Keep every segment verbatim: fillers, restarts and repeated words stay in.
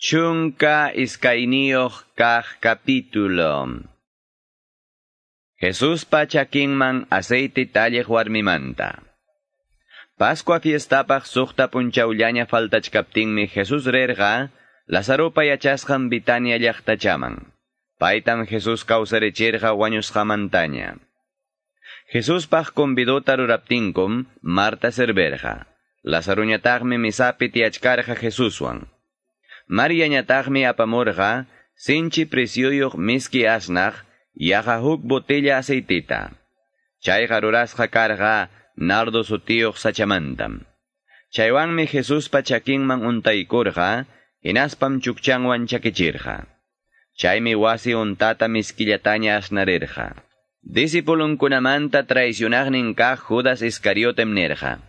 Chunka iskayniyuq kaq capítulo. Jesuspa chakinman aceite talliq warmimanta. Pascua fiestapaq suqta punchawllaña faltachkaptinmi Jesús rirqa Lazaropa yachasqan Bitania llaqtachaman. Paytam Jesús kawsarichirqa wañusqamantaña. Jesuspaq convidota ruraptinkum Marta serverqa. Lazaruñataqmi misapi tiyachkarqa Jesuswan. Mariañataqmi apamurqa sinchi presyuyuq miski asnaq yaqa huk botella aceitita. Chayqa rurasqa karqa nardo sutiyuq sachamantam. Chaywanmi Jesuspa chakinman untaykurqa, hinaspam chukchanwan chakichirqa. Chaymi wasi untata miskillataña asnarirqa. Discipulunkunamanta traicionaqnin kaq Judas Iscariotem nirqa: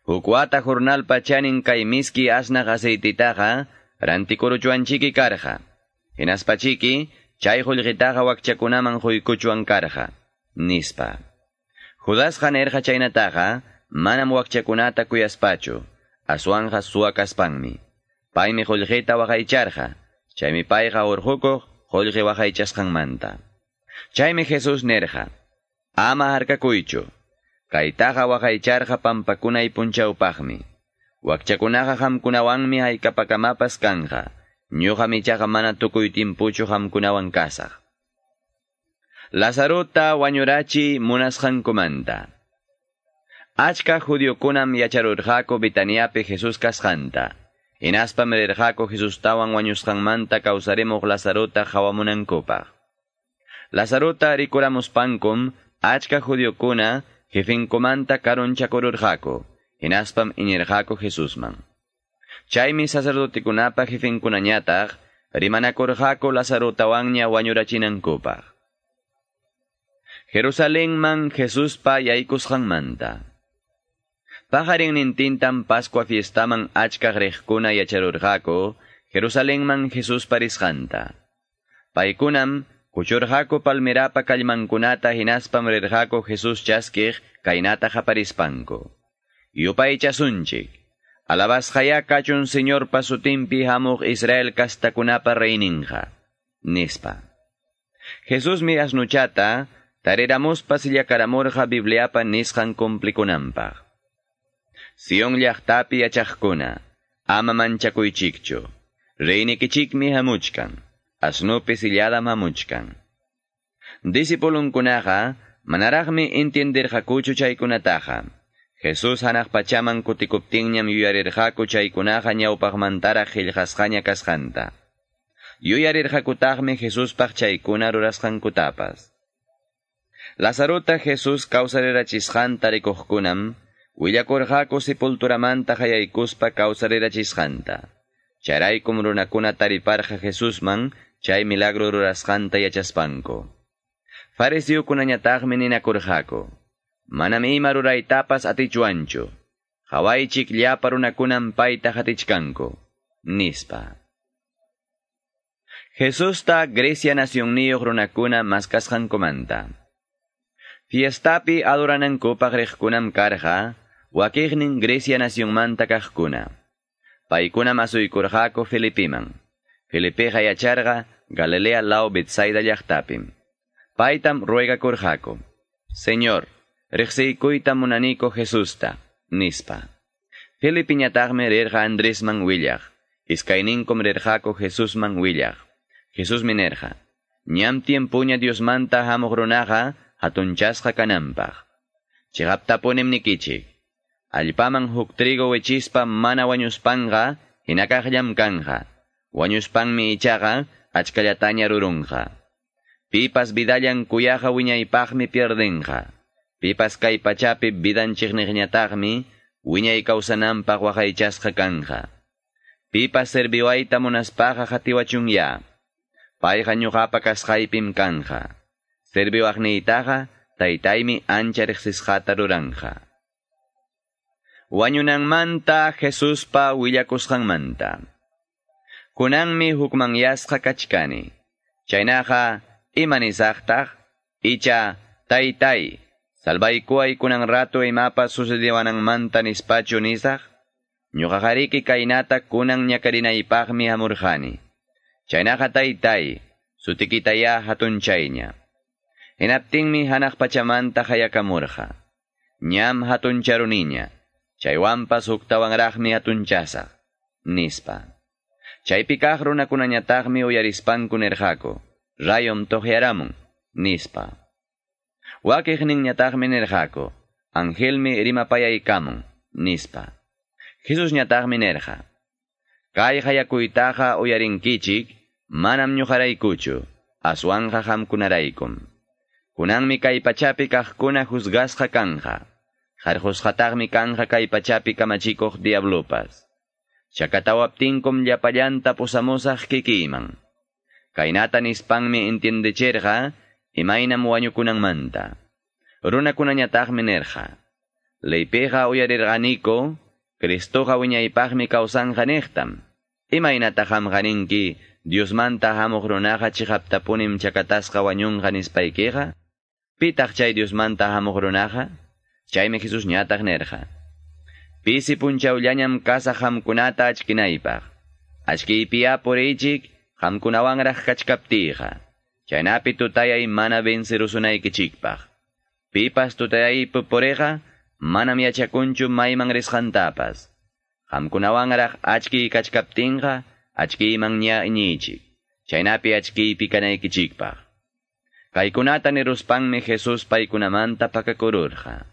Huk wata jornalpa chanin kay miski asnaq aceititaqa rantikuruchwanchiki karqa. Hinaspachiki chay qullqitaqa wakchakunaman quykuchwan karqa, nispa. Judasqa nirqa chaynataqa manam wakchakunata kuyaspachu, aswanqa suwa kaspanmi. Paymi qullqita waqaycharqa, chaymi payqa urqukuq qullqi waqaychasqanmanta. Chaymi Jesús nirqa: Ama harkakuychu, kaytaqa waqaycharqa pampakunay punchawpaqmi. Wakchakunaqa qamkunawanmi haykapakamapas kanqa, ñuqam ichaqa mana tukuy timpuchu qamkunawan kasaq. Lazarota wañurachi munasqankumanta. Achka judiokunam yacharurqaku Bitaniapi Jesús kasqanta. Hinaspam rirqaku Jesustawan wañusqanmanta kawsarimuq Lazarota qawamunankupaq. Lazarota rikuramuspankum achka judiokuna jefinkumanta karunchakururqaku, hinaspam iñirqaku Jesusman. Chaymi sacerdotekunapa jefinkunañataq rimanakurqaku Lazarotawanña wañurachinankupaq. Jerusalenman Jesuspa yaykusqanmanta. Paqarinnintintam Pascua fiestaman achkaq riqkuna yacharurqaku Jerusalenman Jesuspa risqanta. Paykunam kuchurqaku palmerapa kallmankunata hinaspam rirqaku Jesús chaskiq kaynata qaparispanku: Yupaychasunchik, alabasqaya kachun Señorpa sutinpi hamuq Israel kastakunapa reyninqa, nispa. Jesusmi asnuchata tariramuspa sillakaramurqa Bibliapa nisqan cumplikunanpaq. Sion llaqtapi yachaqkuna, ama manchakuychikchu, reynikichikmi hamuchkan, asnupi silladam hamuchkan. Discipulunkunaqa manaraqmi entiendirqakuchu chaykunataqa. Jesús hanaq pachaman kutikuptinñam yuyarirqaku chaykunaqa ñawpaqmantaraq qillqasqaña kasqanta. Yuyarirqakutaqmi Jesuspaq chaykuna rurasqankutapas. Lazarota Jesús kawsarirachisqanta rikuqkunam willakurqaku sepulturamanta hayaykuspa kawsarirachisqanta. Chayraykum runakuna tariparqa Jesusman chay milagro rurasqanta yachaspanku. Fariseokunañataqmi ninakurqaku: Manam ima ruraytapas atichwanchu, qawaychik llapa runakunam payta qatichkanku, nispa. Jesusta Grecia nacionniyuq runakuna maskasqankumanta. Fiestapi adoranankupaq riqkunam karqa wakiqnin Grecia nacionmanta kaqkuna. Paykunam asuykurqaku Felipiman. Felipeqa yacharqa Galilea law Betsaida llaqtapim. Paytam ruegakurqaku: Señor, riqsiykuyta munaniku Jesusta, nispa. Felipiñataqmi rirqa Andresman willaq. Iskayninkum rirqaku Jesusman willaq. Jesusmi nirqa: Ñam tiempuña Diosmanta hamuq runaqa hatunchasqa kananpaq. Chiqaptapunim nikichik, allpaman huk trigo wichispa mana wañuspanqa hinakaqllam kanja. Wañuspanmi ichaqa achkallataña rurunqa. Pipas vidallan kuyaqa wiñaypaqmi pierdenqa. Pipas kay pachapi vidanchikniqñataqmi wiñay kawsananpaq waqaychasqa kanja. Pipas serviwayta munaspaqa qatiwachunya. Payqa ñuqapa kasqaypim kanja. Serviwaqniytaqa taytaymi ancha riqsisqata ruranja. Wañunanmanta Jesuspa willakusqanmanta. Kunanmi hukmanyasqa kachkani. Chaynaqa ima nisaqtaq? Icha taytay, salvaykuway kunan rato imapas sucediwananmanta nispachu nisaq? Ñuqaqariki kaynata kunan ñakarinaypaqmi hamurqani. Chaynaqa taytay, sutikitayá hatunchayña. Hinaptinmi hanaq pachamanta hayakamurqa. Ñam hatuncharuniña, chaywanpas huktawanraqmi hatunchasaq, nispa. Chaypi kaq runakunañataqmi uyarispanku nirqaku, rayom toqyaramun, nispa. Wakiqninñataqmi nirqaku, angelmi rimapayaykamun, nispa. Jesusñataqmi nirqa, kay hayakuytaqa uyarinkichik, manam ñuqaraykuchu, aswanqa qamkunaraykum. Kunanmi kay pachapi kaqkuna juzgasqa kanja, qarqusqataqmi kanja kay pachapi kamachikuq diablopas. Chakatawaptinkum llapallanta pusamusaq kikiyman. Kaynata nispanmi entiendechirqa, imaynam wañukunanmanta. Runakunañataqmi nirqa, leypiqa uyarirqaniku, Cristoqa wiñaypaqmi kawsanqa niqtam. Imaynataq qamqa ninki, Diosmanta hamuq runaqa chiqaptapunim chakatasqa wañunqa nispaykiqa? Pitaq chay Diosmanta hamuq runaqa? Chaymi Jesusñataq nirqa, pisi punchawllañam kasaq qamkunata achkinaypaq. Achkiypiya puriychik qamkunawanraq kachkaptiyqa. Chaynapi tutayay mana vencerusunaykichikpaq. Pipas tutayaypi puriqa, manam yachakunchu mayman risqantapas. Qamkunawanraq achkiy kachkaptinqa, achkiyman ña iñiychik. Chaynapi achkiypi kanaykichikpaq. Kaykunata niruspanmi Jesús paykunamanta pakakururqa.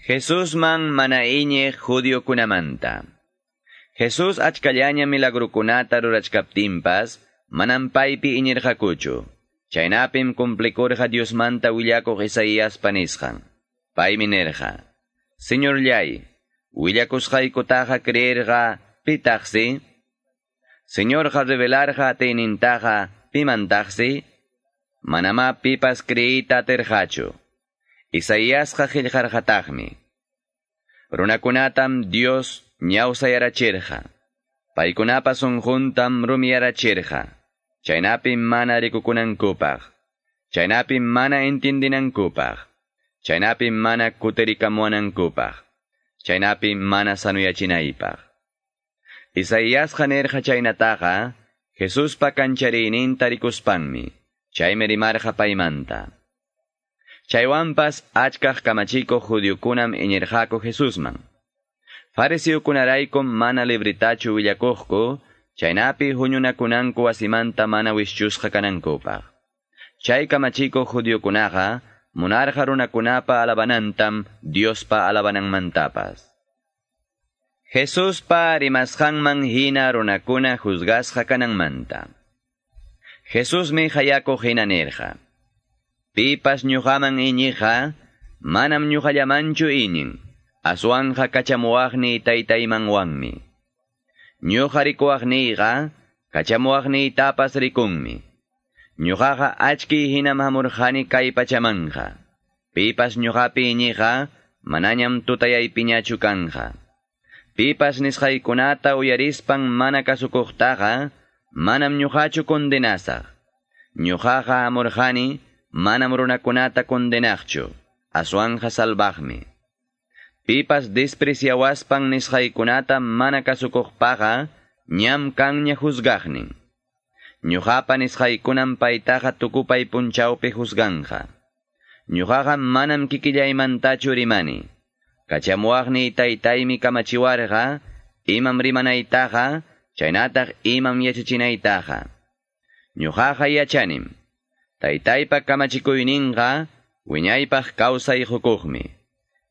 Jesusman mana iñiq judiokunamanta. Jesús achkallaña milagrukunata rurachkaptinpas, manam paypi iñirqakuchu. Chaynapim cumplikurqa Diosmanta willakuq Isaíaspa nisqan. Paymi nirqa, Señorllay, willakusqaykutaqa creerqa pitaqsi? Señorqa revelarqa atiynintaqa pimantaqsi? Manamá pipas creeyta atirqachu. Isaíasqa qillqarqataqmi. Runakunatam Dios ñawsayarachirqa. Paykunapa sunquntam rumiyarachirqa. Chaynapim mana rikukunankupaq. Chaynapim mana entiendinankupaq. Chaynapim mana kutirikamuwanankupaq. Chaynapim mana sanuyachinaypaq. Isaíasqa nirqa chaynataqa, Jesuspa kanchariyninta rikuspanmi, chaymi rimarqa paymanta. Chaywanpas achkaq kamachikuq judiokunam iñirqaku Jesusman. Fariseokunaraykum mana libritachu willakuqku, chaynapi huñunakunanku wasimanta mana wischusqa kanankupaq. Chay kamachikuq judiokunaqa munarqa runakunapa alabanantam Diospa alabananmantapas. Jesuspa rimasqanman hina runakuna juzgasqa kananmanta. Jesusmi hayakuq hina nirqa, pipas ñuqaman iñiqa, manam ñuqallamanchu iñin, aswanqa kachamuwaqniy taytaymanwanmi. Ñuqa rikuwaqniyqa, kachamuwaqniytapas rikunmi. Ñuqaqa achkiy hinam hamurqani kay pachamanqa. Pipas ñuqapi iñiqa, manañam tutayaypiñachu kanja. Pipas nisqaykunata uyarispan mana kasukuqtaqa, manam ñuqachu condenasaq. Ñuqaqa hamurqani, manam runakunata condenaqchu, aswanja salvaqmi. Pipas despreciawaspan nisqaykunata mana kasukuqpaqa, ñam kanña juzgaqnin. Ñuqapa nisqaykunam paytaqa tukupay punchawpi juzganja. Ñuqaqa manam kikillaymantachu rimani. Kachamuwaqniy taytaymi kamachiwarqa, imam rimanaytaqa, chaynataq imam yachachinaytaqa. Ñuqaqa yachanim. Taytaypa kamachikuyninqa, wiñaypaq kawsay hukuqmi.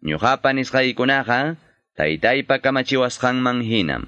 Ñuqapa nisqaykunaqa, taytaypa kamachiwasqanman hinam.